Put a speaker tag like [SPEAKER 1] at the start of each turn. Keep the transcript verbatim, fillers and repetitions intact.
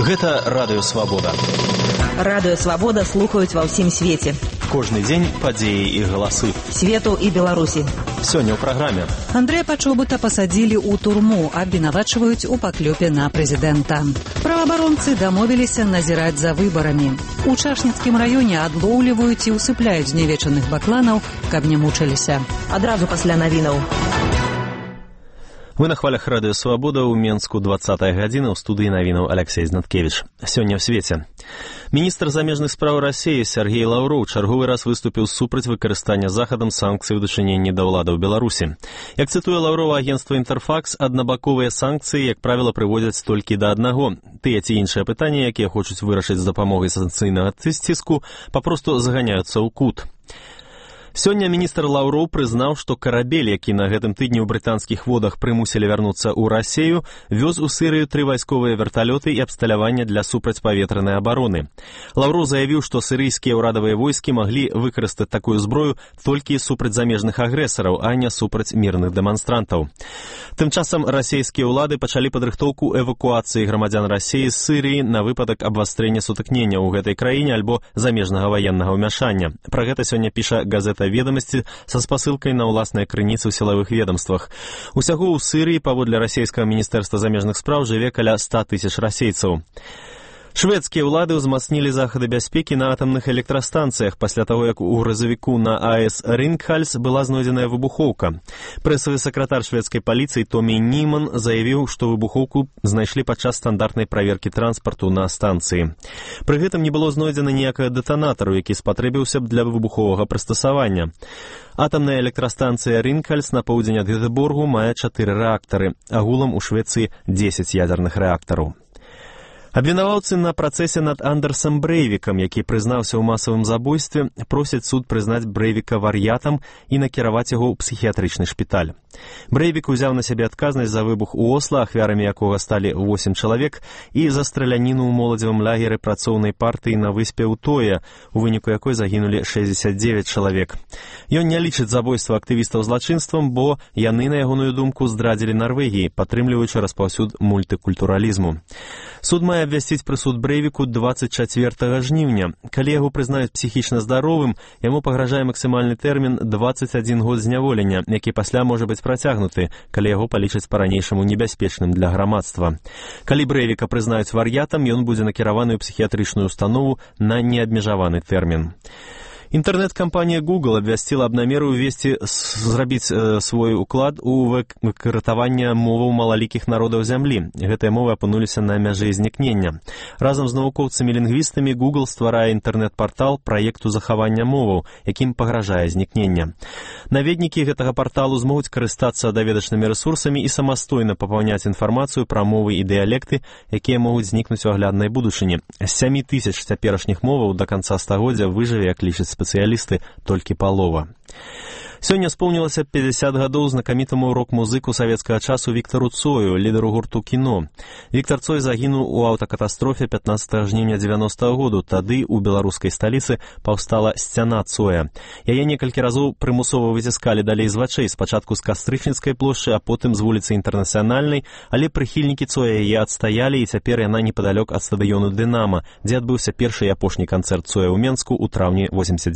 [SPEAKER 1] Гэта Радыё Свабода.
[SPEAKER 2] Радыё Свабода слухаюць ва ўсім свеце.
[SPEAKER 1] Кожны дзень падзеі і галасы.
[SPEAKER 2] Свету і Беларусі.
[SPEAKER 1] Сёння ў праграме.
[SPEAKER 3] Андрэя Пачобута пасадзілі ў турму, абвінавачваюць у паклёпе на прэзідэнта. Праваабаронцы дамовіліся назіраць за выбарамі. У Чашніцкім раёне адлоўліваюць і ўсыпляюць знявечаных бакланаў, каб не мучыліся.
[SPEAKER 2] Адразу пасля навінаў.
[SPEAKER 1] Вы на хвалях Радыё Свабода ў Менску двадцатая гадзіна, ў студыі навінаў Алексей Знаткевич. Сёння ў свеце. Міністр замежных спраў Расіі Сергей Лаўроў чарговы раз выступіў супраць выкарыстання Захадам санкцый у дачыненні да ўлады ў Беларусі. Як цытуе Лаўрова агенцтва «Інтэрфакс», аднабаковыя санкцыі, як правіла, прыводзяць толькі да аднаго. Тыя ці іншыя пытанні, якія хочуць вырашыць з дапамогай санкцыйнага ціску, папросту заганяюцца ў кут. Сёння міністр Лаўроў прызнаў, што карабель, які на гэтым тыдні ў брытанскіх водах прымусілі вярнуцца ў Расію, вёз у Сірыю тры вайсковыя верталёты і абсталяванне для супрацьпаветранай абароны. Лаўроў заявіў, што сірыйскія ўрадавыя войскі маглі выкарыстаць такую зброю толькі супраць замежных агрэсараў, а не супраць мірных дэманстрантаў. Тым часам расійскія ўлады пачалі падрыхтоўку эвакуацыі грамадзян Расіі з Сірыі на выпадак абвастрэння сутыкнення ў гэтай краіне альбо замежнага ваеннага ўмяшання. Пра гэта сёння піша газета «Ведомасці» са спасылкай на ўласныя крыніцы ў сілавых ведомствах. Усяго ў Сірыі, паводле расійскага міністэрства замежных спраў, жыве каля ста тысяч расейцаў. Шведскія ўлады ўзмацнілі захады бяспекі на атамных электрастанцыях пасля таго, як у грузавіку на АЭС Ринкхальс была знойдзеная выбухоўка. Прэсавы сакратар шведскай паліцыі Томі Німан заявіў, што выбухоўку знайшлі падчас стандартнай праверкі транспарту на станцыі. Пры гэтым не было знойдзена ніякага дэтанатару, які спатрэбіўся б для выбуховага прыстасавання. Атамная электрастанцыя Ринкхальс на поўдзень ад Гетеборгу мае чатыры рэактары, агулам у Швецыі дзесяць ядерных рэактараў. Абвінаваўцы на працэсе над Андерсам Брэйвікам, які прызнаўся ў масавым забойстве, просяць суд прызнаць Брэйвіка вар'ятам і накіраваць яго ў псіхіятрычны шпіталь. Брэйвік узяў на сябе адказнасць за выбух у Осла, ахвярамі якога сталі восем чалавек, і за страляніну ў моладзевым лагеры працоўнай партыі на выспе Утоя, у выніку якой загінулі шэсцьдзесят дзевяць чалавек. Ён не лічыць забойства актывістаў злачынствам, бо яны, на ягоную думку, здрадзілі Нарвегіі, падтрымліваючы распаўсюд мультыкультуралізму. Суд мае абвясціць прысуд Брэйвіку дваццаць чацвёртага жніўня. Калі яго прызнаюць псіхічна здаровым, яму пагражае максімальны тэрмін дваццаць адзін год зняволення, які пасля можа быць працягнуты, калі яго палічаць па-ранейшаму небяспечным для грамадства. Калі Брэйвіка прызнаюць вар'ятам, ён будзе накіраваны ў псіхіятрычную установу на неабмежаваны тэрмін. Інтэрнэт-кампанія Google абвясціла аб намеры ўвесці зрабіць э, свой уклад у выкарытаванне моваў малалікіх народаў зямлі. Гэтыя мовы апынуліся на мяжы знікнення. Разам з навукоўцамі-лінгвістамі Google стварае інтэрнэт-партал праекту захавання моваў, якім пагражае знікнення. Наведнікі гэтага парталу змогуць карыстацца даведачнымі рэсурсамі і самастойна папаўняць інфармацыю пра мовы і дыялекты, якія могуць знікнуць у агляднай будучыні. З сямі тысяч цяперашніх моваў да канца стагоддзя выжыве, як лічаць спецыялісты, толькі палова. Сёння споўнілася пяцьдзясят гадоў знакамітаму рок-музыку савецкага часу Віктару Цою, лідару гурту «Кіно». Віктар Цой загінуў у аўтакатастрофе пятнаццатага жніўня дзевяностага году. Тады ў беларускай сталіцы паўстала сцяна Цоя. Яе некалькі разоў прымусова выціскалі далей з вачэй, спачатку з Кастрычніцкай плошчы, а потым з вуліцы Інтэрнацыянальнай, але прыхільнікі Цоя яе адстаялі, і цяпер яна непадалёк ад стадыёну «Дынама», дзе адбыўся першы і апошні канцэрт Цоя ў Менску ў траўні восемьдесят